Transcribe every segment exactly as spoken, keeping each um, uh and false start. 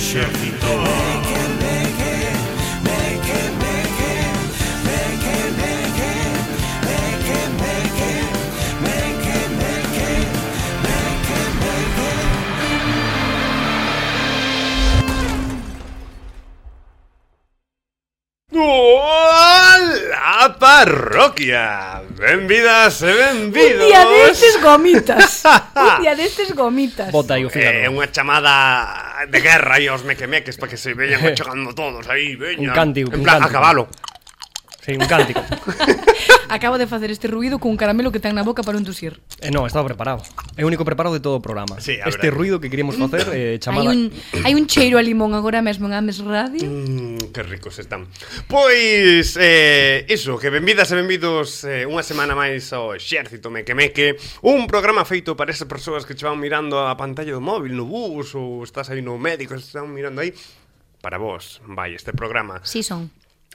exército. Hola, parroquia! Benvidas e benvidos. Un día destes gomitas. Un día destes gomitas. Bota aí o fígado. É eh, unha chamada de guerra aí aos mequemeques para que se veñan chegando todos aí, veñan. Un cántico, en un plan, cántico. a cabalo. Sí, un cántico. Acabo de facer este ruido cun caramelo que ten na boca para un tusir. Eh, no, estaba preparado. É o único preparado de todo o programa. Sí, a este verdade. ruido que queríamos facer eh, chamada... Hai un, hai un cheiro a limón agora mesmo en Ames Radio. Mm, que ricos están. Pois, eh, iso, que benvidas e benvidos eh, unha semana máis ao Exército Mequemeque. Un programa feito para esas persoas que che van mirando a pantalla do móvil no bus ou estás aí no médico e están mirando aí. Para vos, vai, este programa. Si son.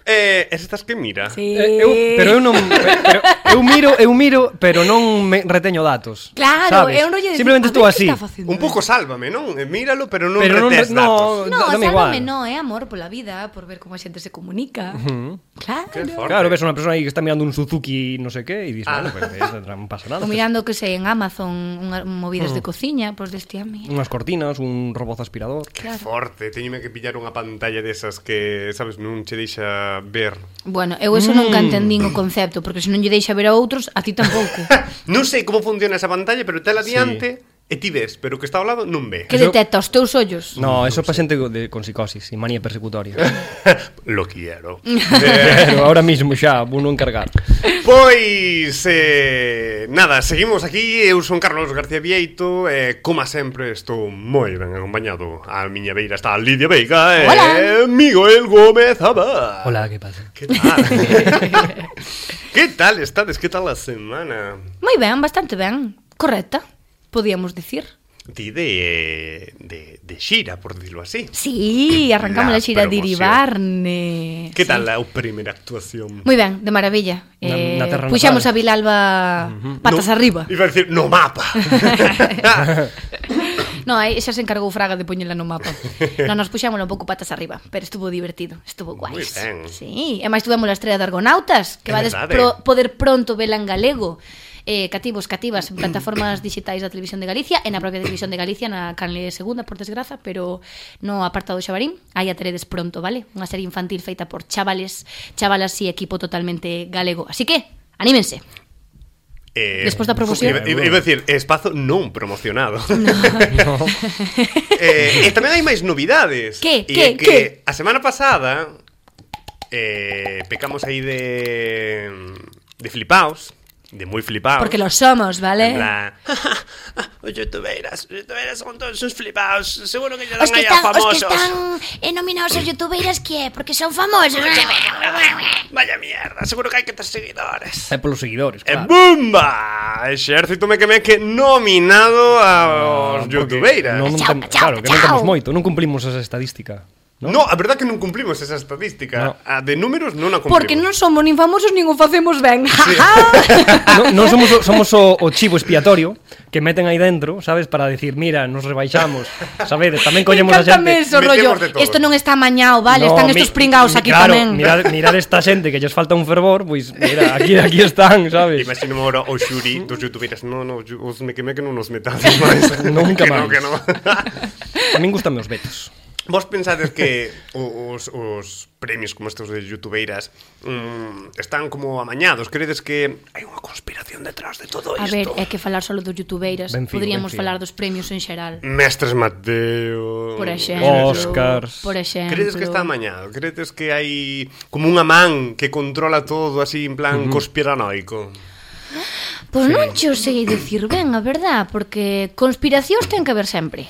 Eh, es estas que mira? Sí. Eh, eu, pero eu non pero, eu miro, eu miro, pero non me reteño datos. Claro, sabes? é un rollo de simplemente decir, estou a ver así. que está facendo. Un pouco sálvame, non? Eh, Míralo, pero non Pero non retes re- no, datos. No, dame igual. sálvame no, é amor pola vida, por ver como a xente se comunica. Uh-huh. Claro. Qué forte. Claro, ves unha persona aí que está mirando un Suzuki no sei que e dices, Ah. bueno, pues, eso non pasa nada. O mirando que sei en Amazon unhas movidas de cociña, pois deste a mí. Unhas cortinas, un robot aspirador. Que forte, teñome que pillar unha pantalla desas que, sabes, non che deixa ver. Bueno, eu eso nunca entendín o concepto, porque se non lle deixa ver a outros, a ti tampouco. Non sei como funciona esa pantalla, pero tela adiante e ti ves, pero o que está ao lado non ve. Que Eso- detecta os teus ollos. No, eso é para xente de, con psicosis e manía persecutoria. Lo quiero. Pero ahora mismo xa, vou non encargar. Pois, eh, nada, seguimos aquí. Eu son Carlos García Vieito e, como sempre, estou moi ben acompañado. A miña beira está Lidia Veiga e Hola. Miguel Gómez Abad. Hola, que pasa? Que tal? Que tal estades? Que tal a semana? Moi ben, bastante ben. Correcta, podíamos dicir. Ti de, de, de xira, por decirlo así. Sí, arrancamos La a xira de promoción. Iribarne. Que Sí. tal a primeira actuación? Moi ben, de maravilla. Na- eh, na terra puxamos natal. a Vilalba patas No- arriba. Iba a decir, no mapa. No, aí xa se encargou Fraga de poñela no mapa. Non nos puxámoslo un pouco patas arriba, pero estuvo divertido, estuvo guai. Moi ben. Sí, e máis tuvemos a estrela de Argonautas, que É vades verdade. pro, poder pronto vela en galego. Eh, cativos, cativas en plataformas digitais da Televisión de Galicia e na propia Televisión de Galicia na canle segunda, por desgraza, pero no apartado Xabarín. Aí a teredes pronto, vale? Unha serie infantil feita por chavales, chavalas e equipo totalmente galego. Así que, anímense. Eh, Despois da promoción. Iba, iba, iba a decir, espazo non promocionado. No. eh, e tamén hai máis novidades. Que, E que, é que que? a semana pasada eh, pecamos aí de de flipaos, de moi flipaos. Porque lo somos, vale? En plan, os youtubeiras, os youtubeiras son todos uns flipaos. Seguro que lle dan Os que aí a están, os famosos. que están eh, nominados aos youtubeiras que é? Porque son famosos. Vaya mierda, seguro que hai que ter seguidores. É polos seguidores, E claro. bumba! Exército Mequemeque nominado aos Porque youtubeiras. non, non Chao, tem, chao, claro, que non chao. temos moito, non cumplimos esa estadística. ¿no? No, a verdad que non cumplimos esa estadística. No. A de números non a cumplimos. Porque non somos nin famosos nin o facemos ben. non, non somos, o, somos o, o chivo expiatorio que meten aí dentro, sabes, para decir, mira, nos rebaixamos, sabedes, tamén collemos a Encántame xente. eso, rollo. Metemos de todo. Esto non está amañado, vale? No, Están mi- estos pringaos mi- aquí claro, tamén. Mirad, mirad esta xente que lles falta un fervor, pois mira, aquí aquí están, sabes? Imagíname ahora o xuri dos youtubeiras. No, no, os Mequemeque non nos metades máis. Nunca que no, máis. que no. A min gustan os vetos. Vos pensades que os, os premios como estos de youtubeiras mm, están como amañados? Credes que hai unha conspiración detrás de todo A isto? ver, é que falar solo dos youtubeiras. Ben fío, Poderíamos ben fío. falar dos premios en xeral. Mestres Mateo... Por exemplo. Oscars. Por exemplo. Credes que está amañado? Credes que hai como unha man que controla todo así en plan uh-huh. conspiranoico? Pois non xo sei dicir ben, a verdad, porque conspiracións ten que haber sempre.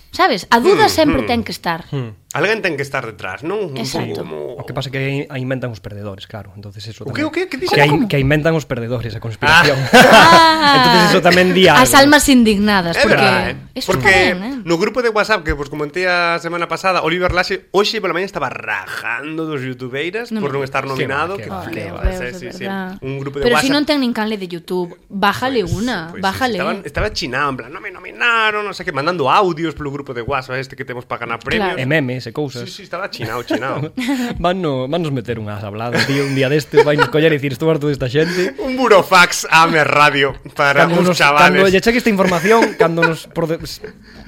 Sabes? A duda sempre ten que estar. A Alguén ten que estar detrás, non? Un Exacto. pouco como... O que pasa é que aí inventan os perdedores, claro. Entonces eso O que, tamén... o que? Que dixen? Que, aí, que inventan os perdedores, a conspiración. Ah, Entonces eso tamén di algo. As almas indignadas, É porque verdade, eh? eso Porque está ben, eh? no grupo de WhatsApp que vos comenté a semana pasada, Oliver Laxe hoxe pola mañá estaba rajando dos youtubeiras Non por me non estar nominado, Que que va, Ay, que flipas, Deus, eh, de sí, sí. verdad. Un grupo de Pero WhatsApp. si non ten nin canle de YouTube, bájale Pues- una, pues sí, bájale. Estaba, estaba chinado, en plan, non me nominaron, non sei que, mandando audios polo grupo de WhatsApp este que temos para ganar premios. E memes e cousas. Sí, sí, estaba chinado, chinado. Van, no, van nos meter unhas habladas, tío, un día destes vai nos coller e dicir estou harto desta xente. Un burofax a Amer Radio para Cando uns nos, cando chavales. lle cheque esta información, cando nos por de,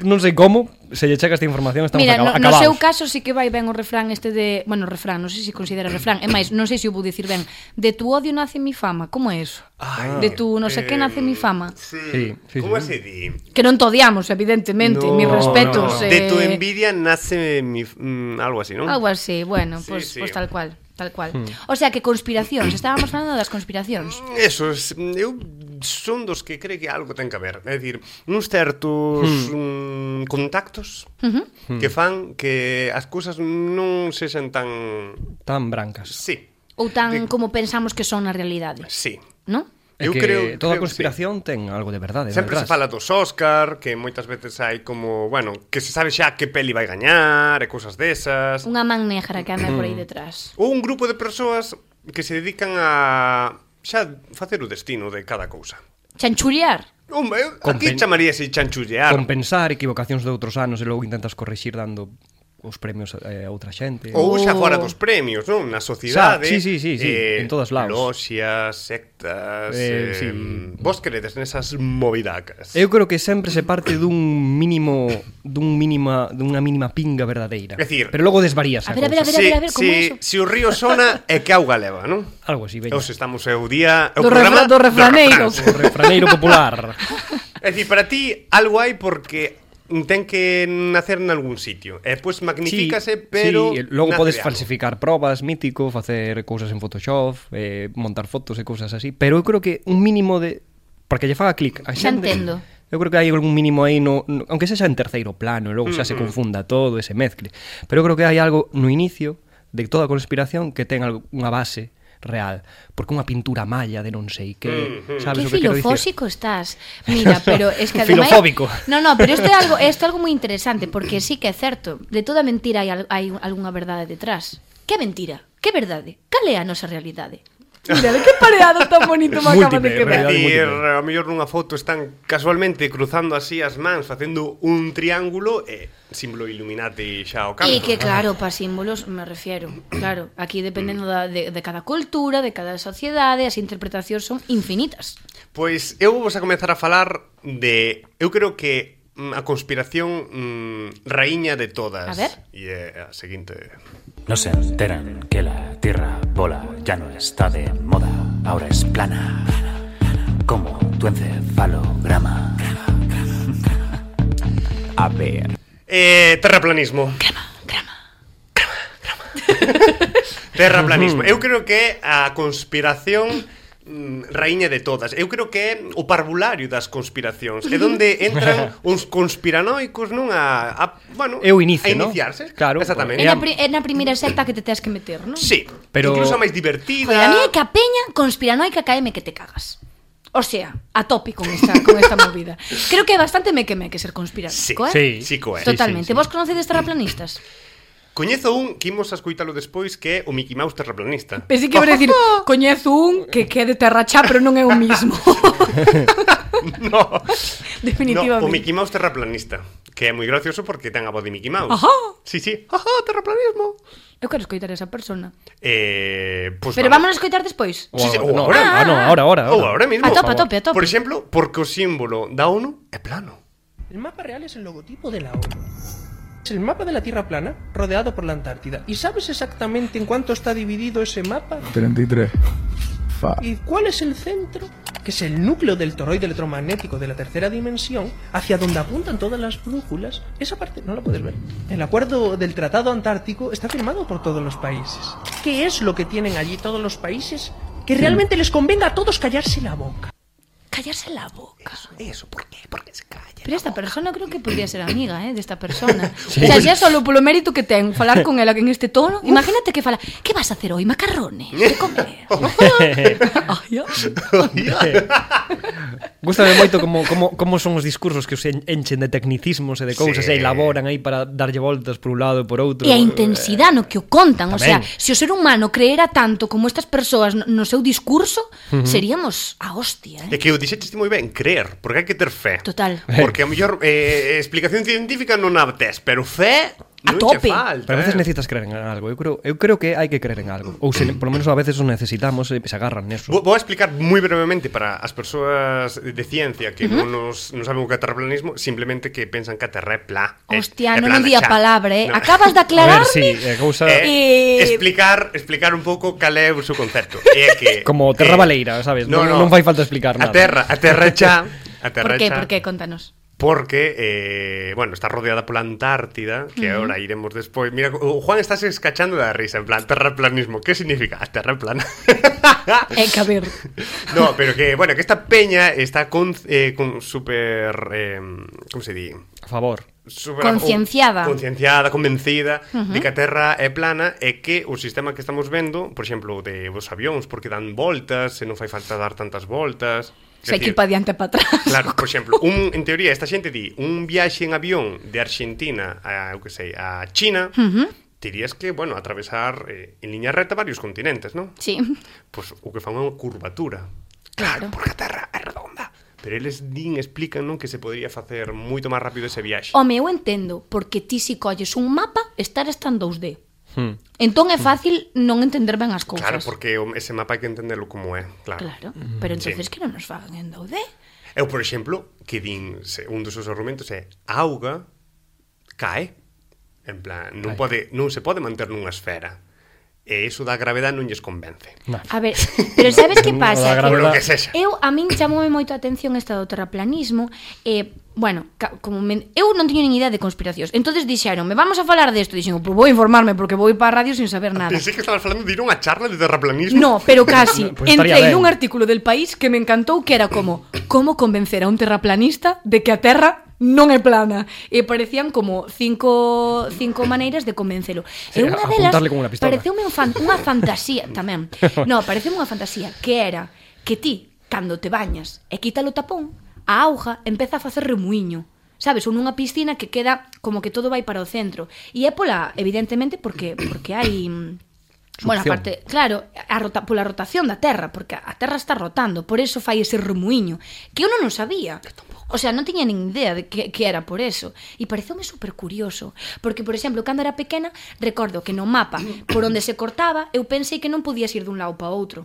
non sei como, se lle checa esta información estamos Mira, acaba, no, no acabados. seu caso sí que vai ben o refrán este de... Bueno, refrán, non sei se considera refrán. É máis, non sei se o vou dicir ben. De tu odio nace mi fama. Como é eso? Ay, de tu no sé que nace mi fama. Sí, Sí, sí, ¿Cómo sí. se di? Que non te odiamos, evidentemente. No, Mis respetos. no, no. Eh... De tu envidia nace mi... mm, algo así, ¿no? Algo así, bueno, Sí, pues, sí. pues tal cual. Tal cual. Hmm. O sea que conspiracións, estábamos falando das conspiracións. Eso, es, eu son dos que cree que algo ten que haber. É dicir, uns certos mm, contactos Uh -huh. que fan que as cousas non sexan tan... Tan brancas. Sí, Ou tan De- como pensamos que son na realidade, sí. non? É Eu que creo, toda creo que conspiración ten algo de verdade. Sempre se detrás. fala dos Óscar, que moitas veces hai como, bueno, que se sabe xa que peli vai gañar e cousas desas. Unha man negra que anda por aí detrás. Ou un grupo de persoas que se dedican a xa facer o destino de cada cousa. Chanchullar. Hombre, Compen- aquí chamaríase chanchullear. Compensar equivocacións de outros anos e logo intentas corrixir dando os premios a, a outra xente. Ou xa Oh. fora dos premios, non? Na sociedade. Xa, sí, sí, sí, sí, en todos lados. Loxias, sectas... Eh, Eh, sí. Vos credes nesas movidacas? Eu creo que sempre se parte dun mínimo dun mínima dunha mínima pinga verdadeira. É dicir, pero logo desvarías A a, ver, a ver, a cousa. ver, a ver, a ver, como si, eso? si o río sona é que auga leva, non? Algo así, veña. Os estamos é o día... é o Do programa refra- do refraneiro. refráns. O refraneiro popular. É dicir, para ti algo hai porque ten que nacer en algún sitio. E pois magnifícase, Sí, pero sí, logo nace podes de algo. falsificar probas, mítico, facer cousas en Photoshop, eh, montar fotos e cousas así, pero eu creo que un mínimo de porque lle faga clic a Xa xente. entendo. Eu creo que hai algún mínimo aí no, no aunque sexa en terceiro plano, e logo xa se confunda todo e se mezcle. Pero eu creo que hai algo no inicio de toda a conspiración que ten algo, unha base real, porque unha pintura malla de non sei que, Mm, mm. sabes Que o que quero dicir? filofósico estás. Mira, pero es que ademais... Filofóbico. No, no, pero isto é algo, isto é algo moi interesante, porque sí que é certo, de toda mentira hai, al- hai algunha verdade detrás. Que mentira? Que verdade? Cal é a nosa realidade? Mira, de que pareado tan bonito me acaba de Múltiple, quedar. É realidade dicir, múltiple. a mellor nunha foto están casualmente cruzando así as mans, facendo un triángulo e símbolo Illuminati xa ao campo. E que claro, para símbolos me refiero. Claro, aquí dependendo da, de, de cada cultura, de cada sociedade, as interpretacións son infinitas. Pois eu vou a comezar a falar de... Eu creo que mm, a conspiración mm, raíña de todas. A ver. E é a seguinte... No se enteran que la tierra bola ya no está de moda, ahora es plana, como tu encefalograma. A ver. Eh, terraplanismo. Crema, crema. Terraplanismo. Eu creo que é a conspiración mm, raíña de todas. Eu creo que é o parvulario das conspiracións. É onde entran uns conspiranoicos, non? A, a bueno, É o inicio, a non? iniciarse. Claro, Exactamente. É na, pri, é na primeira secta que te tens que meter, non? Sí, Pero- incluso a máis divertida. Joder, a mí é que a peña conspiranoica caeme que te cagas. O sea, a tope con esta, con esta movida. Creo que é bastante meque-meque ser conspiranoico, eh? Sí. Sí, co é. Totalmente. sí, sí. Vos conocedes terraplanistas? Coñezo un que imos a escoitalo despois que é o Mickey Mouse terraplanista. Pensei que iba a decir, coñezo un que que é de terra chá, pero non é o mismo. No. Definitivamente. No, o Mickey Mouse terraplanista, que é moi gracioso porque ten a voz de Mickey Mouse. Ajá. Sí, sí. Ajá, terraplanismo. Eu quero escoitar a esa persona. Eh, pues Pero vamos a escoitar despois. O Sí, sí, agora, ou no, agora. ah, no, ahora, ahora, Ou ahora. ahora mismo. A tope, por a tope, a tope. Por exemplo, porque o símbolo da ONU é plano. El mapa real es el logotipo de la ONU. Es el mapa de la Tierra plana rodeado por la Antártida. ¿Y sabes exactamente en cuánto está dividido ese mapa? treinta y tres. Fa. ¿Y cuál es el centro? Que es el núcleo del toroide electromagnético de la tercera dimensión, hacia donde apuntan todas las brújulas. Esa parte no la puedes ver. El acuerdo del Tratado Antártico está firmado por todos los países. ¿Qué es lo que tienen allí todos los países? Que realmente les convenga a todos callarse la boca. callarse la boca. Eso, por qué? Por que se calla? Pero esta persona creo que podría ser amiga, eh, desta persona. Sí. O sea, xa solo polo mérito que ten falar con ela en este tono. Imagínate que fala, que vas a hacer hoy? Macarrones de comer. Ai, Gústame moito como, como, como son os discursos que os enchen de tecnicismos e de cousas sí. E elaboran aí para darlle voltas por un lado e por outro. E a intensidade no que o contan. Tamén. O sea, se o ser humano creera tanto como estas persoas no, no seu discurso, uh-huh. seríamos a hostia, eh? É que o dixetes moi ben, creer, porque hai que ter fe. Total. Porque a mellor eh, explicación científica non a tes, pero fe a non tope. che falta. Pero a veces eh. necesitas creer en algo. Eu creo, eu creo que hai que creer en algo. Ou se, por lo menos a veces o necesitamos e se agarran neso. Vou, vou explicar moi brevemente para as persoas de ciencia que uh-huh. non, nos, non saben o que é terraplanismo, simplemente que pensan que a Terra é plá. Hostia, é, non é di a palabra, eh? No. Acabas de aclararme. A ver, sí, é cousa... Eh, Eh... explicar, explicar un pouco cal é o seu concepto. É que Como Terra eh, Baleira, sabes? No, non, no. non fai falta explicar A nada. Terra, a Terra é xa, a Terra Por que? é xa. Por que? Contanos. Porque, eh, bueno, está rodeada pola Antártida, que uh-huh. ahora iremos despois. Mira, o Juan está se escachando da risa, en plan, terraplanismo. Que significa? A terra plana. É que a ver. No, pero que, bueno, que esta peña está con, eh, con super... Eh, como se di? A favor. Super, concienciada. O, concienciada, convencida uh-huh. de que a Terra é plana e que o sistema que estamos vendo, por exemplo, de os avións, porque dan voltas, e non fai falta dar tantas voltas... Se hai que ir para diante e para atrás. Claro, por exemplo, un, en teoría, esta xente di un viaxe en avión de Argentina a, eu que sei, a China, uh-huh. terías que, bueno, atravesar eh, en liña recta varios continentes, non? Sí. Pois pues, o que fan é unha curvatura. Claro. Porque a Terra é redonda. Pero eles din, explican, non, que se podría facer moito máis rápido ese viaxe. Home, eu entendo, porque ti si colles un mapa, estar está en dous D. Hmm. Entón é fácil non entender ben as cousas. Claro, porque ese mapa hai que entenderlo como é, claro. Claro, pero entonces sí. Que non nos fagan en dous D. Eu, por exemplo, que din, un dos seus argumentos é a auga cae. En plan, non, pode, non se pode manter nunha esfera. E iso da gravedade non lles convence. No. A ver, pero sabes que pasa? Por lo que sexa. Eu, a min chamoume moito a atención esta do terraplanismo e, bueno, como me, eu non teño nin idea de conspiracións. Entonces dixeron, me vamos a falar desto. Dixen, pues vou informarme porque vou ir para a radio sin saber nada. Pensei que estabas falando de ir a unha charla de terraplanismo. No, pero casi. Pues Entrei nun artículo del País que me encantou, que era como, como convencer a un terraplanista de que a Terra non é plana. E parecían como cinco, cinco maneiras de convencelo. Sí, e unha delas pareceume un fan, unha fantasía tamén. No, pareceume unha fantasía que era que ti, cando te bañas e quita o tapón, a auga empeza a facer remuiño. Sabes, ou nunha piscina que queda como que todo vai para o centro. E é pola, evidentemente, porque porque hai... Bueno, aparte, claro, a rota, pola rotación da Terra, porque a Terra está rotando, por eso fai ese remuiño, que eu non o sabía. O sea, non tiña nin idea de que, que era por eso. E pareceume super curioso, porque, por exemplo, cando era pequena, recordo que no mapa, por onde se cortaba, eu pensei que non podías ir dun lado para outro.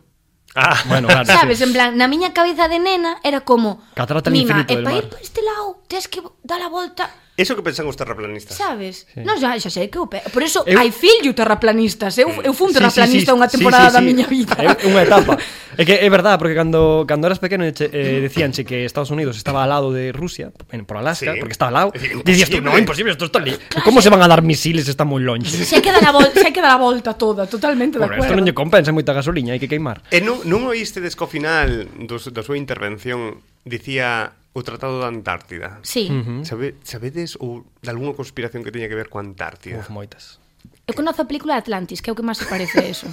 Ah, bueno, claro. Sabes, Sí. en plan, na miña cabeza de nena era como, Catarata al mima, infinito e del para mar. ir por este lado, tens que dar a volta... Eso que pensan os terraplanistas. Sabes? Sí. Non, xa, xa sei que eu pe... Por eso Eu- hai fillo terraplanistas. Eu, eu fun Sí, terraplanista sí, sí, unha sí, temporada sí, sí. da miña vida. É unha etapa. É que é verdade, porque cando cando eras pequeno che, eh, decíanche que Estados Unidos estaba al lado de Rusia, en, por Alaska, Sí. porque estaba al lado. É dicir, Dicías tú, imposible. no, imposible, esto está ali. Como se van a dar misiles, está moi longe. Se hai que dar a volta, se hai que dar a volta toda, totalmente de Por isto acordo. non lle compensa moita gasoliña, hai que queimar. E non, non oíste des que ao final dos, da súa intervención dicía o Tratado da Antártida? Sí. Mm. Sabe, sabedes ou de algunha conspiración que teña que ver coa Antártida? Uf, moitas. Eu conozo a película Atlantis, que é o que máis se parece a eso.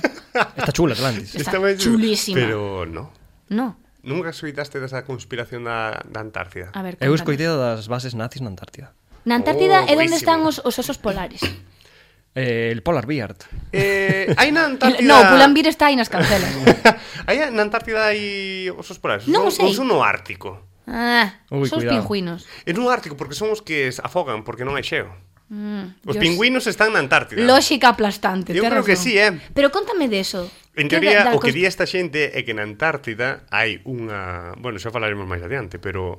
Está chula Atlantis. Está moi chulo. chulísima. Pero no. No. Nunca soidaste desa conspiración da, da Antártida? A ver, Eu contanos. escoitei das bases nazis na Antártida. Na Antártida Oh, é onde buenísimo. están os, os osos polares. Eh, el Polar Bear. Eh, hai na Antártida... No, Pulambir está aí nas cancelas. Hai na Antártida hai osos polares? Non o Ou- sei. Ou son no Ártico? Ah, Ui, son os cuidado. pingüinos. É no Ártico porque son os que se afogan porque non hai xeo. Mm, Os Dios. pingüinos están na Antártida. Lógica aplastante. Eu tes creo que razón. sí, eh. Pero contame deso. En Que teoría, da- da o que cons- di esta xente é que na Antártida hai unha... Bueno, xa falaremos máis adiante, pero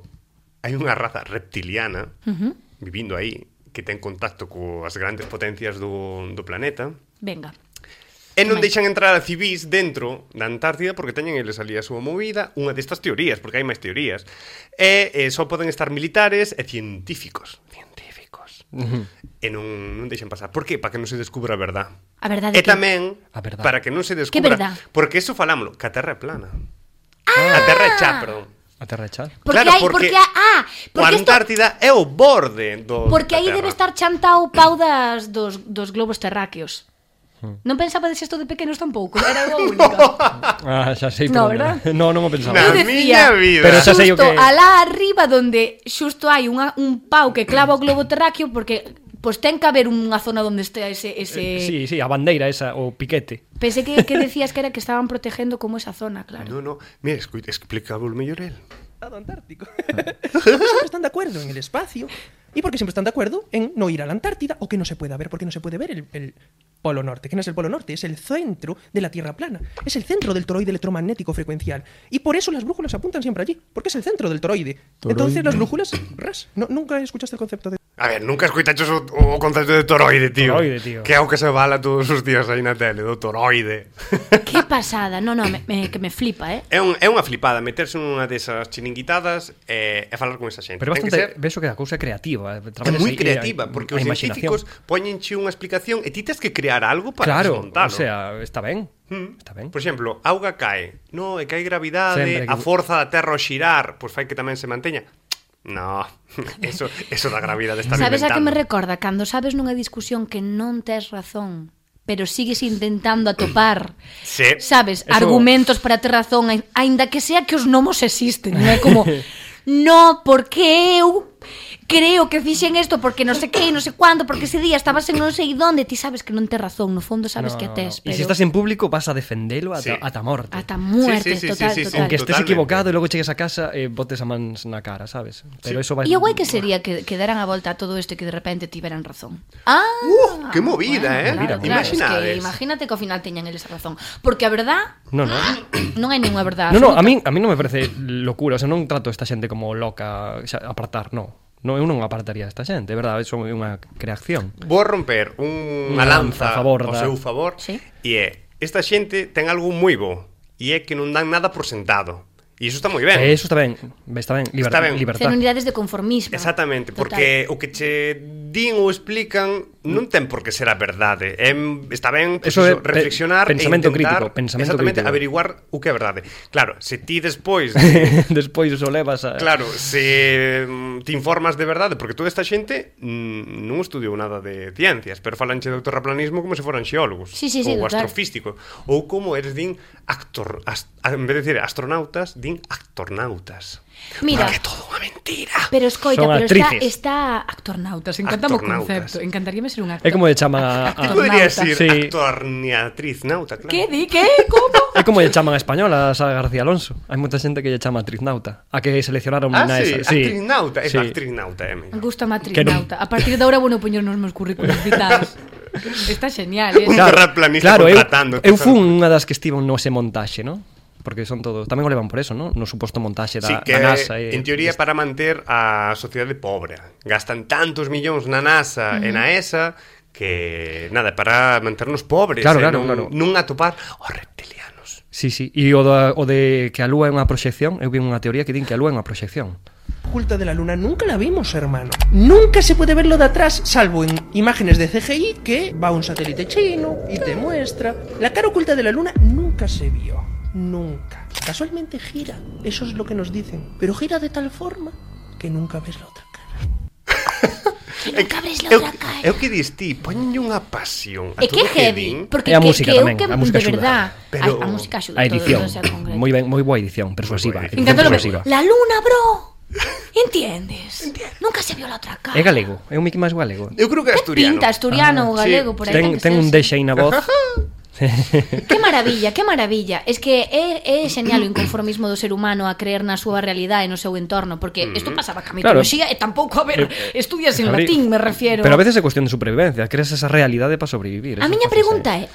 hai unha raza reptiliana Uh-huh. vivindo aí que ten contacto coas grandes potencias do, do planeta Venga. e non Máis. deixan entrar a civis dentro da Antártida porque teñen eles ali a súa movida, unha destas teorías, porque hai máis teorías, e eh, só poden estar militares e científicos. Científicos. Uh-huh. E non, non deixan pasar. Por que? Para que non se descubra a verdad. A verdade E que... tamén A verdad. para que non se Que descubra verdad? porque eso falámoslo, que a Terra é plana. Ah! A Terra é cha, perdón. A A Terra de Chal. Porque Claro, hai, porque porque, ah, O porque esto, Antártida é o borde do porque da aí Terra. debe estar chantao o pau das, dos, dos globos terráqueos. Non pensaba de isto de pequenos tampouco, era eu a única. Ah, xa sei, No, pero verdad? no, non o pensaba. Na Eu decía, miña vida. Pero xa sei o xusto que- alá arriba donde xusto hai unha, un pau que clava o globo terráqueo, porque pois ten que haber unha zona onde este ese, ese... Sí, sí, a bandeira esa, o piquete. Pensé que, que decías que era que estaban protegendo como esa zona, claro. No, no, mira, escuita, explícalo mellor el. Antártico. Siempre están de acuerdo en el espacio. Y porque siempre están de acuerdo en no ir a la Antártida o que no se pueda ver, porque no se puede ver el, el Polo Norte. ¿Qué no es el Polo Norte? Es el centro de la Tierra plana. Es el centro del toroide electromagnético frecuencial. Y por eso las brújulas apuntan siempre allí, porque es el centro del toroide. Entonces las brújulas, ras. No, nunca escuchaste el concepto de... A ver, nunca escoitaches o, o concepto de toroide, tío. Toroide, tío. Que é o que se bala todos os días aí na tele, do toroide. Qué pasada, no, no, me, me, que me flipa, eh. É, un, é unha flipada meterse nunha desas chiringuitadas e, e falar con esa xente. Pero Ten que bastante, ser... ves o que a cousa é creativa. É moi creativa, porque os científicos poñenche unha explicación e ti tes que crear algo para Claro, desmontalo. o sea, está ben. Hmm. Está ben. Por exemplo, auga cae. No, é que hai gravidade, Sempre que- a forza da Terra ao xirar, pois fai que tamén se manteña. No, eso, eso da gravidade está Sabes a que me inventando. recorda? Cando sabes nunha discusión que non tes razón, pero sigues intentando atopar, Sí. sabes, Eso- argumentos para ter razón, ai- aínda que sea que os nomos existen, non é como no, porque eu creo que fixen isto porque non sei que, non sei cuándo, porque ese día estabas en non sei donde, ti sabes que non tes razón, no fondo sabes No, que no, tes, no. pero E se estás en público vas a defendelo ata, Sí. ata morte. ata muerte, Sí, sí, sí, total, sí, sí, sí. total. Aunque estés Totalmente. equivocado e logo chegues a casa e botes a mans na cara, sabes? Pero eso vai... E o guai que sería que, que deran a volta a todo isto e que de repente tiveran razón. Ah, Uh, que movida, eh? claro, Mira, claro, es imaginades. que imagínate que ao final teñan eles a razón. Porque a verdad No, no. non hai ninguna verdade No, no, absoluta. a mí, a mí non me parece locura. O sea, non trato esta xente como loca, xa, apartar, no. No, eu non apartaría esta xente, é verdade, eso é unha creación. Vou a romper un- unha Unha lanza lanza a favor ao da- seu favor Sí. e é, esta xente ten algo moi bo e é que non dan nada por sentado. E iso está moi ben. E eso está ben, está ben, liber, Está ben. libertad. Ten unidades de conformismo. Exactamente, Total. porque o que che din ou explican non ten por que ser a verdade. É, está ben pues, Eso eso, é pe- reflexionar pensamento e intentar crítico, pensamento exactamente crítico. averiguar o que é verdade. Claro, se ti despois Despois o levas a... Claro, se mm, te informas de verdade, porque toda esta xente mm, non estudiou nada de ciencias, pero falanche de terraplanismo como se foran xeólogos Sí, sí, sí, ou total. astrofísico, ou como eres din actor, ast, en vez de decir astronautas, din actornautas. Mira. Porque é todo unha mentira. Pero escoita, Son pero actrices. está, está actornautas, encantame o Actornautas. concepto, encantaríame ser un actor. É como lle chama a... Ti a poderías Actornauta. ir Sí. actorniatriz nauta, claro. Que di, que, como? É como lle chaman a española a Sara García Alonso. Hai moita xente que lle chama actriz nauta. A que seleccionaron Ah, na sí, esa. actriz nauta, é sí. actriz nauta, é mellor. Gusta Que matrinauta. A partir de agora bueno poñer nos meus currículos vitaes. Está genial, eh? Un terraplanista claro, eu, contratando. eu fun unha das que estivo no ese montaxe, ¿no? Porque son todo, tamén o levan por eso, ¿no? No suposto montaxe da, Sí, que da NASA e, en teoría para manter a sociedade pobre. Gastan tantos millóns na NASA uh -huh. e na E S A que, nada, para manternos pobres. Claro, eh, claro, non, claro. non atopar os reptilianos. Sí, sí, e o, da, o de que a Lúa é unha proxección, eu vi unha teoría que din que a Lúa é unha proxección. Oculta de la luna nunca la vimos, hermano. Nunca se puede verlo de atrás, salvo en imágenes de C G I que va un satélite chino y te muestra. La cara oculta de la luna nunca se vio. Nunca. Casualmente gira. Eso es lo que nos dicen. Pero gira de tal forma que nunca ves la otra cara. Que nunca abres la É outra cara. o que dis ti, poñenlle unha pasión a É que todo é o que heavy, din. porque E a que, música que eu tamén, que a música de axuda. verdad, Pero- a, a música axuda, A edición, todo, todo sea concreto. moi ben, moi boa edición, persuasiva. Moi boa edición Encantalo persuasiva. la luna, bro. ¿Entiendes? Nunca se vio la otra cara. É galego, é un Mickey máis galego. Eu creo que é asturiano. Pinta asturiano ou Ah, galego sí, por aí. Ten, ten un deixe aí na voz. Que maravilla, que maravilla. Es que é, é xeñal o inconformismo do ser humano a creer na súa realidade e no seu entorno, porque isto pasaba ca Claro. mitoloxía e tampouco, a ver, estudias en A ver, latín, me refiero. Pero a veces é cuestión de supervivencia, creas esa realidade para sobrevivir. A eso miña pasa pregunta é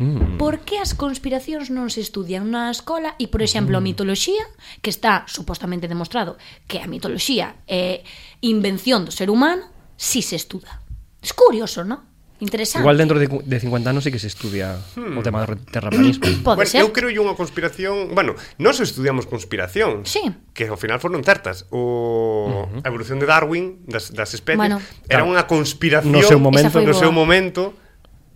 Mm. por que as conspiracións non se estudian na escola e, por exemplo, Mm. a mitoloxía, que está supostamente demostrado que a mitoloxía é invención do ser humano, si se estuda. Es curioso, non? Interesante. Igual dentro de, cu- de cincuenta anos sí que se estudia o tema do terraplanismo. Pode Bueno, ser. eu creo unha conspiración, bueno, nós estudiamos conspiración. Sí. Que ao final foron certas. O a evolución de Darwin das, das especies Bueno. era Claro. unha conspiración No seu momento. Esa foi no seu boa. momento,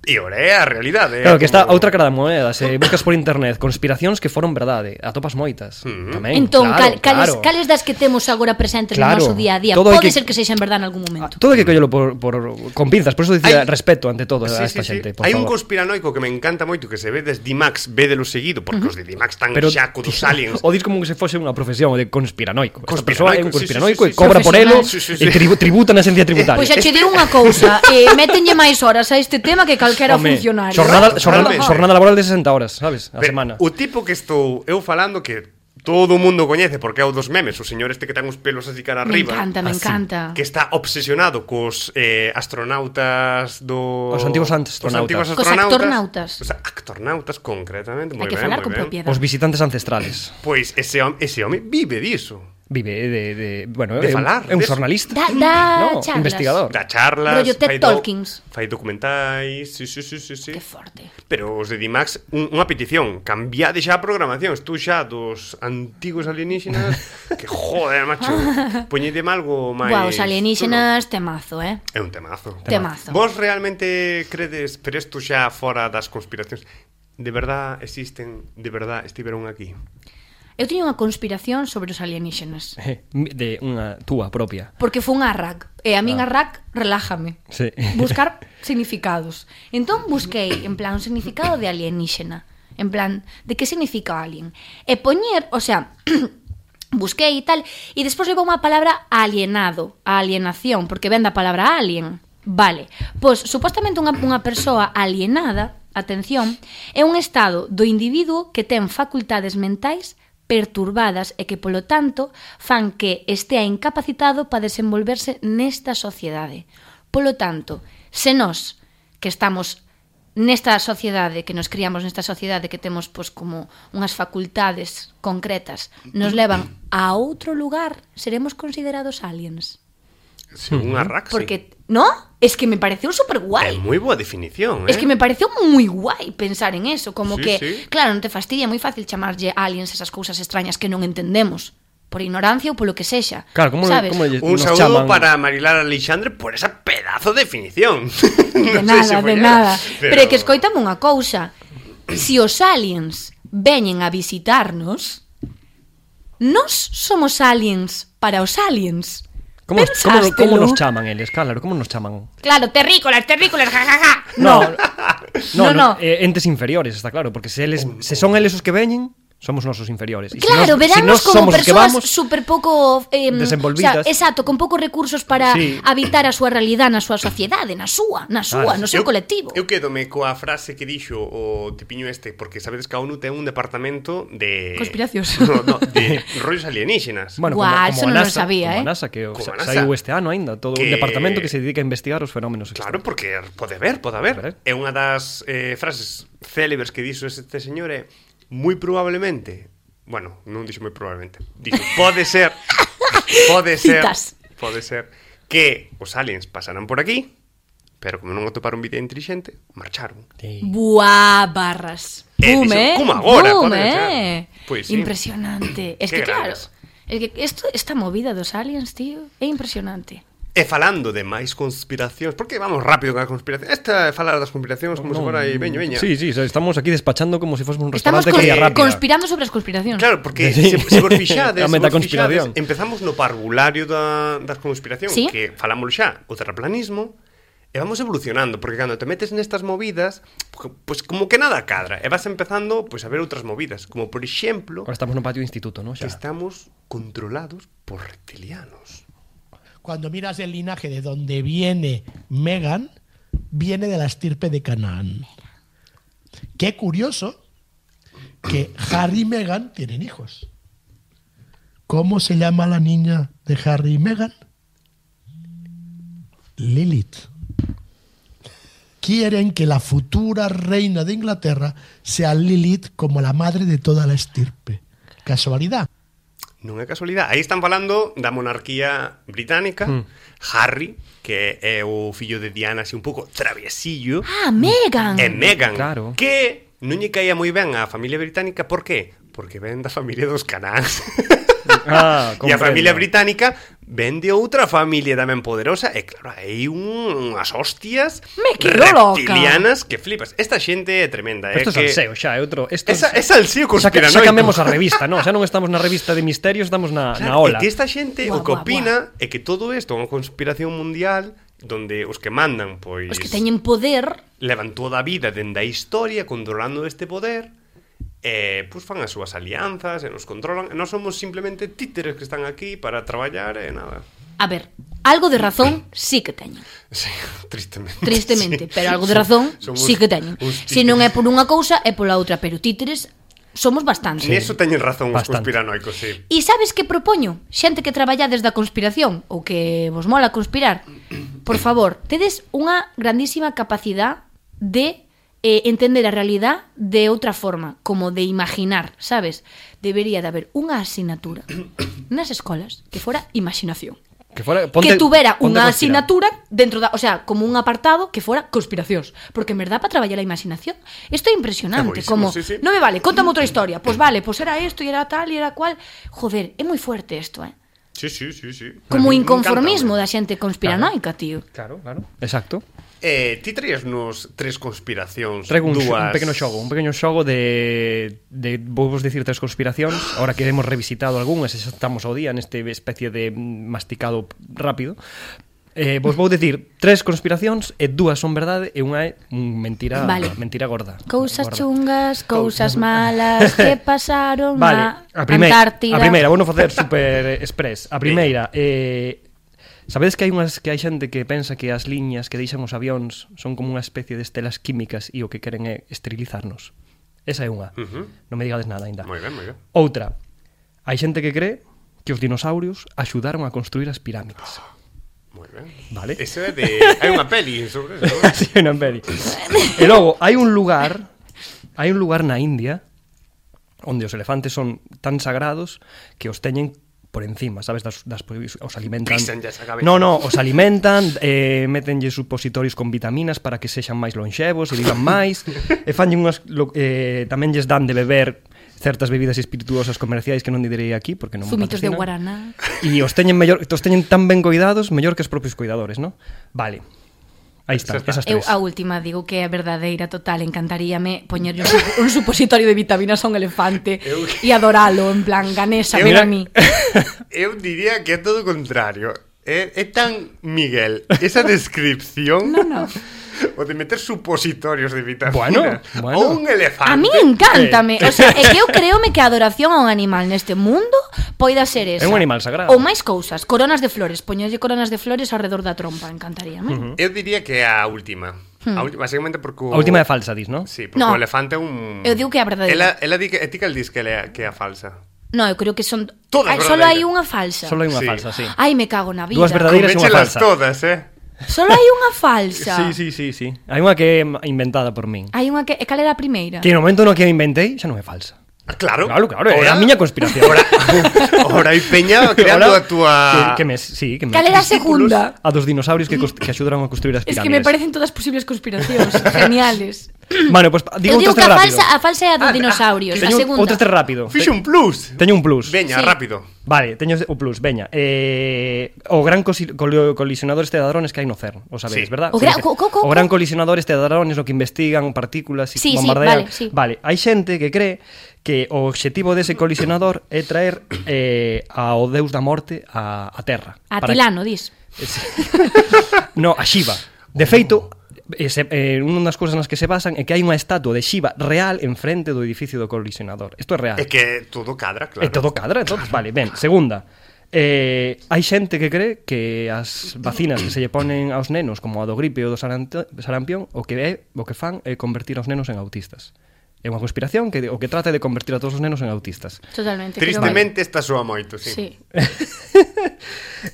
E ora é a realidade. Claro, que está a outra cara da moeda. Se buscas por internet conspiracións que foron verdade, atopas moitas. Mm. Tamén, Entón, claro, cal, cales, claro. cales das que temos agora presentes Claro. no noso día a día Todo hai pode que- ser que sexan verdade en algún Ah, momento? todo hai que collelo por, por, con pinzas. Por eso dicía Hai- respeto ante todo Sí, a sí, esta sí. xente, por Hai un favor. conspiranoico que me encanta moito que se ve des D-Max, védelo seguido, porque uh-huh. os de D-Max están Pero xa co dos aliens. o dis como que se fose unha profesión o de conspiranoico. Esta persoa é un Conspiranoico, sí, sí, conspiranoico sí, e sí. cobra por elo Sí, sí, sí. e tribu, tributa na esencia tributaria. Pois xa che digo unha cousa, eh, métenlle máis horas a este tema que calquera Home, funcionario. Xornada, eh? xornada, Totalmente. xornada laboral de sesenta horas, sabes? A Pero semana. o tipo que estou eu falando que todo o mundo coñece porque é o dos memes, o señor este que ten os pelos así cara Me arriba. encanta, me Así, encanta. Que está obsesionado cos eh, astronautas do... Os antigos astronautas. Os antigos Cos astronautas. actornautas. Os actornautas, concretamente. Hai Moi que ben, falar moi con ben. propiedade. Os visitantes ancestrales. Pois ese home, ese home vive diso. Vive de, de bueno, De é, un, falar, é un de- xornalista. Da, da no, charlas. investigador. Da charlas, Rollo TED fai do- Talkings. Fai documentais, sí, sí, sí, sí, sí. Que forte. Pero os de D-Max, un, unha petición, cambiade xa a programación, estou xa dos antigos alienígenas, que joder, macho, poñedeme algo máis... Guau, os alienígenas, temazo, eh? É un temazo. Temazo. Vos realmente credes, pero isto xa fora das conspiracións, de verdad existen, de verdad estiveron aquí? Eu teño unha conspiración sobre os alienígenas. De unha túa propia. Porque foi un arrac. E a min Ah. arrac relájame. Sí. Buscar significados. Entón busquei, en plan, un significado de alienígena. En plan, de que significa alien. E poñer, o sea, busquei e tal, e despois levou unha palabra alienado, a alienación, porque ven da palabra alien. Vale, pois supostamente unha, unha persoa alienada, atención, é un estado do individuo que ten facultades mentais perturbadas e que, polo tanto, fan que estea incapacitado para desenvolverse nesta sociedade. Polo tanto, se nós, que estamos nesta sociedade, que nos criamos nesta sociedade, que temos pois como unhas facultades concretas, nos levan a outro lugar, seremos considerados aliens. Según a Raxi. Porque, ¿no? Es que me pareceu super É guai. moi boa definición, eh? Es que me pareceu moi guai pensar en eso, como Sí, que, sí. claro, non te fastidia, é moi fácil chamarlle aliens esas cousas extrañas que non entendemos, por ignorancia ou polo que sexa. Claro, como, sabes? como lle- Un nos saúdo chaman... para Marilar Alexandre por esa pedazo de definición. De Non sei se nada, foi de ela, nada. Pero é que escoitame unha cousa. Si os aliens veñen a visitarnos, nós somos aliens para os aliens. Como, como, Pensástelo? como nos chaman eles? Claro, como nos chaman? Claro, terrícolas, terrícolas, jajaja. No, No. no, No, no, no. eh, entes inferiores, está claro, porque se eles se son eles os que veñen, somos nosos inferiores. E se Claro, nos- veránnos se nos como somos os que persoas vamos, super pouco eh, desenvolvidas. O sea, exacto, con poucos recursos para Sí. habitar a súa realidade na súa sociedade, na súa, na súa, Claro. no seu colectivo. Eu quedome coa frase que dixo o tipiño este, porque sabedes que a ONU ten un departamento de... Conspiracións. No, no, de rollos alienígenas. bueno, Guau, como, eso como non a lo NASA, sabía, como eh. a NASA, que o, Como a sa- NASA. saiu este ano aínda, todo Que- un departamento que se dedica a investigar os fenómenos Claro, extraños. porque pode haber, pode haber. Pode haber. É unha das eh, frases célebres que dixo este señor é moi probablemente, bueno, non dixo moi probablemente, dixo, pode ser, pode ser, Citas. pode ser que os aliens pasaran por aquí, pero como non atoparon vida inteligente, marcharon. Sí. Buah, barras. Eh, Boom, dixo, eh. como agora, Boom, pode ser. eh. Pois sí. Impresionante. Es Qué que claro, grandes. es que esto, esta movida dos aliens, tío, é impresionante. E falando de máis conspiracións, porque vamos rápido con a conspiración. Esta é falar das conspiracións como se fora aí veño, veña. Sí, sí, estamos aquí despachando como se si fósemos un Estamos restaurante con- que ia rápida. conspirando sobre as conspiracións. Claro, porque Sí. se, se vos fixades, A se vos metaconspiración. fixades, empezamos no parvulario da, das conspiracións, Sí. que falamos xa, o terraplanismo, e vamos evolucionando, porque cando te metes nestas movidas, pois pues, como que nada cadra, e vas empezando pues, a ver outras movidas, como por exemplo, Ahora estamos no patio do instituto, ¿no? que Xa. estamos controlados por reptilianos. Cuando miras el linaje de donde viene Megan, viene de la estirpe de Canaán. Qué curioso que Harry y Meghan tienen hijos. ¿Cómo se llama la niña de Harry y Meghan? Lilith. Quieren que la futura reina de Inglaterra sea Lilith como la madre de toda la estirpe. ¿Casualidad? Non é casualidade. Aí están falando da monarquía británica, Mm. Harry, que é o fillo de Diana, así un pouco traviesillo, Ah, Megan. e Meghan, Claro. que non lle caía moi ben á familia británica, por qué? Porque ven da familia dos Canáns. Ah, E a familia comprendo. británica vende outra familia tamén poderosa. E claro, hai un, unhas hostias Me quedo loca. reptilianas que flipas. Esta xente é tremenda. Isto é é que... salseo xa, é outro... Esto Esa, é salseo xa, que- conspiranoico. xa cambiamos a revista, non? Xa non estamos na revista de misterios, estamos na, na Claro, ola. é que esta xente Buah, o que buah, opina é que todo isto é unha conspiración mundial donde os que mandan, pois... Os que teñen poder, levan toda a vida dende a historia controlando este poder e pois fan as súas alianzas e nos controlan e nós somos simplemente títeres que están aquí para traballar e nada. a ver, algo de razón sí que teñen. Sí, tristemente. Tristemente, sí. pero algo de razón Somos sí que teñen. uns Se non é títeres. por unha cousa, é pola outra, pero títeres somos bastantes. Neso teñen razón os Bastante. conspiranoicos, sí. E sabes que propoño? Xente que traballades da conspiración ou que vos mola conspirar, por favor, tedes unha grandísima capacidade de eh, entender a realidad de outra forma, como de imaginar, sabes? Debería de haber unha asignatura nas escolas que fora imaginación. Que, fora, Que tuvera ponte unha a conspirar. asignatura dentro da, o sea, como un apartado que fora conspiracións, porque en verdad para traballar a imaginación isto é impresionante, É boísimo, como sí, sí. non me vale, contame outra historia. Pois pues vale, pois pues era isto e era tal e era cual. Joder, é moi fuerte isto, eh. Sí, sí, sí, sí. Como A mí me inconformismo encanta, da xente conspiranoica, tío. Claro, claro. Exacto. Eh, ti traías nos tres conspiracións, Traigo un, dúas... un pequeno xogo, un pequeno xogo de, de vou vos dicir tres conspiracións, ahora que hemos revisitado algunhas, e xa estamos ao día neste especie de masticado rápido. Eh, vos vou dicir tres conspiracións e dúas son verdade e unha é un mentira, Vale. mentira gorda. Cousas gorda. chungas, cousas malas que pasaron Vale, na a primeira, Antártida. a primeira, vou non facer super express. A primeira, eh, sabedes que hai unhas que hai xente que pensa que as liñas que deixan os avións son como unha especie de estelas químicas e o que queren é esterilizarnos. Esa é unha. Ujú. Non me digades nada aínda. Moi ben, moi ben. Outra, hai xente que cree que os dinosaurios axudaron a construir as pirámides. Moi ben. Vale. Eso é de... Hai unha peli sobre eso, non? Sí, non peli. E logo, hai un lugar, hai un lugar na India onde os elefantes son tan sagrados que os teñen por encima, sabes, das, das os alimentan. Písanlles a cabeza. No, no, os alimentan, eh, metenlle supositorios con vitaminas para que sexan máis lonxevos e vivan máis, e fanlle unhas lo, eh, tamén lles dan de beber certas bebidas espirituosas comerciais que non direi aquí porque non me Zumitos de patrocinan. guaraná. E os teñen mellor, os teñen tan ben coidados, mellor que os propios cuidadores, ¿no? Vale. Aí está, Xa está. esas Eu tres. a última digo que é verdadeira total, encantaríame poñerlle un, sup- un supositorio de vitaminas a un elefante Eu- e adoralo, en plan, Ganesa, Eu- ven a mí. Eu diría que é todo o contrario. É, é tan Miguel esa descripción No, no. o de meter supositorios de vitaminas Bueno, bueno. ou un elefante. A mí encántame, o sea, é que eu creome que a adoración a un animal neste mundo poida ser esa. É un animal sagrado. Ou máis cousas, coronas de flores, poñerlle coronas de flores ao redor da trompa, encantaríame. Eu diría que é a última. A última, básicamente porque o... A última é falsa, dis, ¿no? Sí, porque No. o elefante é un... Eu digo que é a verdadeira. Ela, ela di que, e ti cal dis que, ela, que é a falsa? No, eu creo que son Todas Ai, solo hai verdadeiras. unha falsa. Solo hai unha Sí. falsa, sí. Ai, me cago na vida. Dúas verdadeiras e unha Coméchelas falsa. todas, eh? Solo hai unha falsa. Sí, sí, sí, sí. Hai unha que é inventada por min. Hai unha que, e cal era a primeira? Que no momento no que a inventei xa non é falsa. Ah, claro. Claro, claro, é a miña conspiración. Ora, ora hai peña creando Ahora, a túa... que, que me, sí, que me, Cal era a segunda? A dos dinosaurios que, cos- que axudaron a construir as Es pirámides. que me parecen todas posibles conspiracións geniales. Bueno, pues digo Eu digo outros que tres a rápido. falsa, a falsa é a dos Ah, dinosaurios, a Teño segunda. outros tres rápido. Fixo un plus. Teño un plus. Veña, Sí. rápido. Vale, teño o plus, veña. Eh, o gran cosi- coli- colisionador este de hadrones que hai no CERN, o Sí. sabedes, verdad? O Sí, gra- que- co- co- co- o gran colisionador este de hadrones no que investigan partículas e Sí, sí, bombardean. vale, sí. Vale, hai xente que cree que o obxectivo dese colisionador é traer eh, ao deus da morte a, a Terra. A Para- Tilano, dis. No, a Shiva. De feito, ese, eh, unha das cousas nas que se basan é que hai unha estatua de Shiva real enfrente do edificio do colisionador. Isto é real. É que todo cadra, claro. E todo cadra, entonces, vale, ben. Segunda, eh, hai xente que cree que as vacinas que se lle ponen aos nenos, como a do gripe ou do saranto- sarampión, o que é o que fan é convertir aos nenos en autistas. É unha conspiración que o que trata é de convertir a todos os nenos en autistas. Totalmente. creo Tristemente esta soa moito, que- sí. Sí.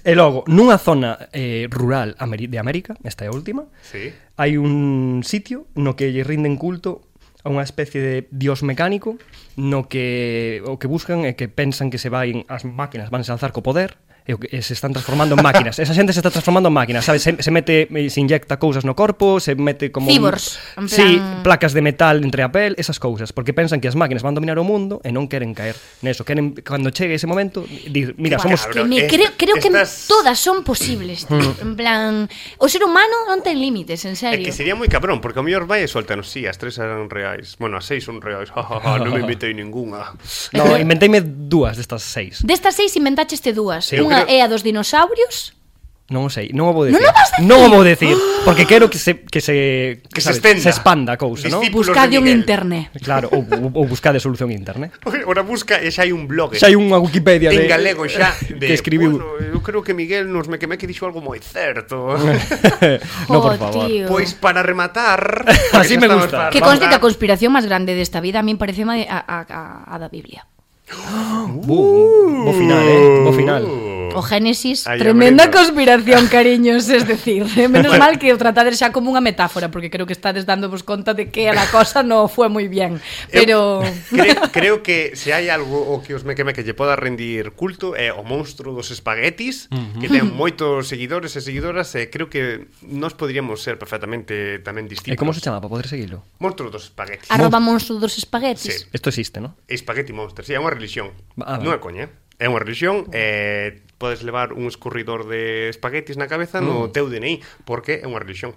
E logo, nunha zona eh, rural ameri- de América, esta é a última, Sí. hai un sitio no que lle rinden culto a unha especie de dios mecánico no que o que buscan é que pensan que se vai as máquinas van se alzar co poder e, e se están transformando en máquinas. Esa xente se está transformando en máquinas, sabes? Se, se mete, se inyecta cousas no corpo, se mete como... Cibors, un, en plan... Sí, placas de metal entre a pel, esas cousas, porque pensan que as máquinas van dominar o mundo e non queren caer neso. Queren, cando chegue ese momento, dir, mira, somos... Que me, Est- creo creo estas- que todas son posibles, tío. En plan, o ser humano non ten límites, en É serio. que sería moi cabrón, porque o mellor vai e soltanos, sí, as tres eran reais. Bueno, as seis son reais. Non me invitei ninguna. No, inventeime dúas destas seis. Destas seis inventaste dúas. Sí, eu Unha creo- é a dos dinosaurios. Non o sei, non o vou decir. Non o vas decir? Non o vou decir, porque quero que se que se Que se sabes, estenda. se expanda a cousa, non? Discípulos Buscade de un Miguel. internet. Claro, ou, ou, ou buscade solución internet. Ora busca e xa hai un blog. Xa hai unha Wikipedia de en galego xa de, que escribiu. Bueno, eu creo que Miguel nos me que me que dixo algo moi certo. No, por Jo, favor. tío. Pois para rematar, Así porque xa me estamos gusta. para Que rematar. conste que a conspiración máis grande desta vida a min parece a, a, a, a da Biblia. Boom, bo final, eh, bo final. O Génesis, Aí tremenda abrindo. conspiración, cariños, es decir, menos mal que o tratades xa como unha metáfora, porque creo que estades dándovos conta de que a la cosa no fue moi bien, pero... creo, creo que se hai algo o que os mequeme que lle poda rendir culto é o monstro dos espaguetis, uh-huh. que ten moitos seguidores e seguidoras, e creo que nós podríamos ser perfectamente tamén E discípulos. como se chama para poder seguilo? Monstro dos espaguetis. Arroba monstro dos espaguetis. Sí. Isto existe, ¿no? Espagueti Monster, sí, é unha religión. Ah, Non é vale. coña, é unha religión, eh, podes levar un escorridor de espaguetis na cabeza no Mm. teu D N I, porque é unha religión.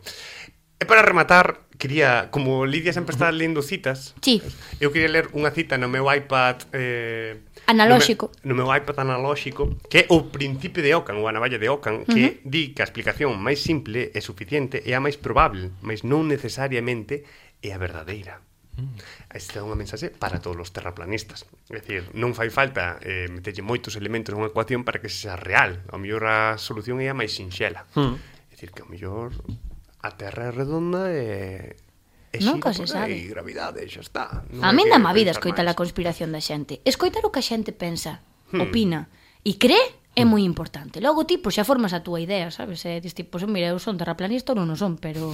E para rematar, quería, como Lidia sempre está lendo citas, Sí. eu quería ler unha cita no meu iPad eh, Analóxico. No meu, no meu iPad analóxico, que é o principio de Ockham, ou a navalla de Ockham, que uh-huh. di que a explicación máis simple é suficiente e a máis probable, mas non necesariamente é a verdadeira. Esta é unha mensaxe para todos os terraplanistas. É dicir, non fai falta eh, meterlle moitos elementos nunha ecuación para que sea real. Ao mellor a solución é a máis sinxela. Mm. É dicir, que ao mellor a Terra é redonda e... e Nunca xira se por sabe. aí, gravidade, xa está. Non A hai min que dá má vida pensar escoitar máis. a conspiración da xente. Escoitar o que a xente pensa, Hmm. opina e cree é moi importante. Logo ti, pois xa formas a túa idea, sabes? E dis tipo, pois, mira, eu son terraplanista ou non o son, pero...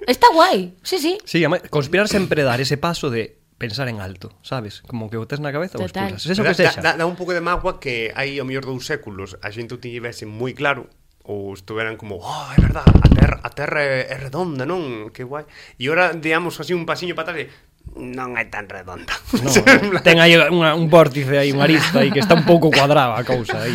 Está guai, sí, sí. Sí, ama- conspirar sempre dar ese paso de pensar en alto, sabes? Como que o tes na cabeza ou Total. expulsas. Eso Da- que sexa. Dá, dá un pouco de mágoa que hai ao mellor dous séculos a xente o tivese moi claro ou estuveran como, oh, é verdad, a terra, a terra é, é redonda, non? Que guai. E ora digamos así un pasiño para atrás e non é tan redonda. No, no. Ten aí unha, un vórtice aí, unha arista aí que está un pouco cuadrada a cousa aí.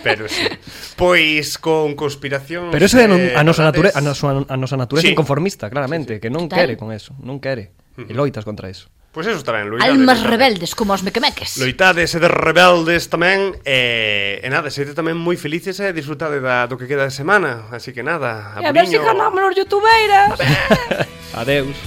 Pero sí. Pois con conspiración. Pero eso é non- a nosa natureza, a nosa, a nosa natureza Sí. inconformista, claramente, que non Total. quere con eso, non quere. E loitas contra eso. Pois eso está ben, loitades. Almas loitades. rebeldes como os mequemeques. Loitades e de rebeldes tamén e, e nada, sete tamén moi felices e disfrutade da, do que queda de semana. Así que nada, E a ver se abriño. ganamos os youtubeiras. Adeus.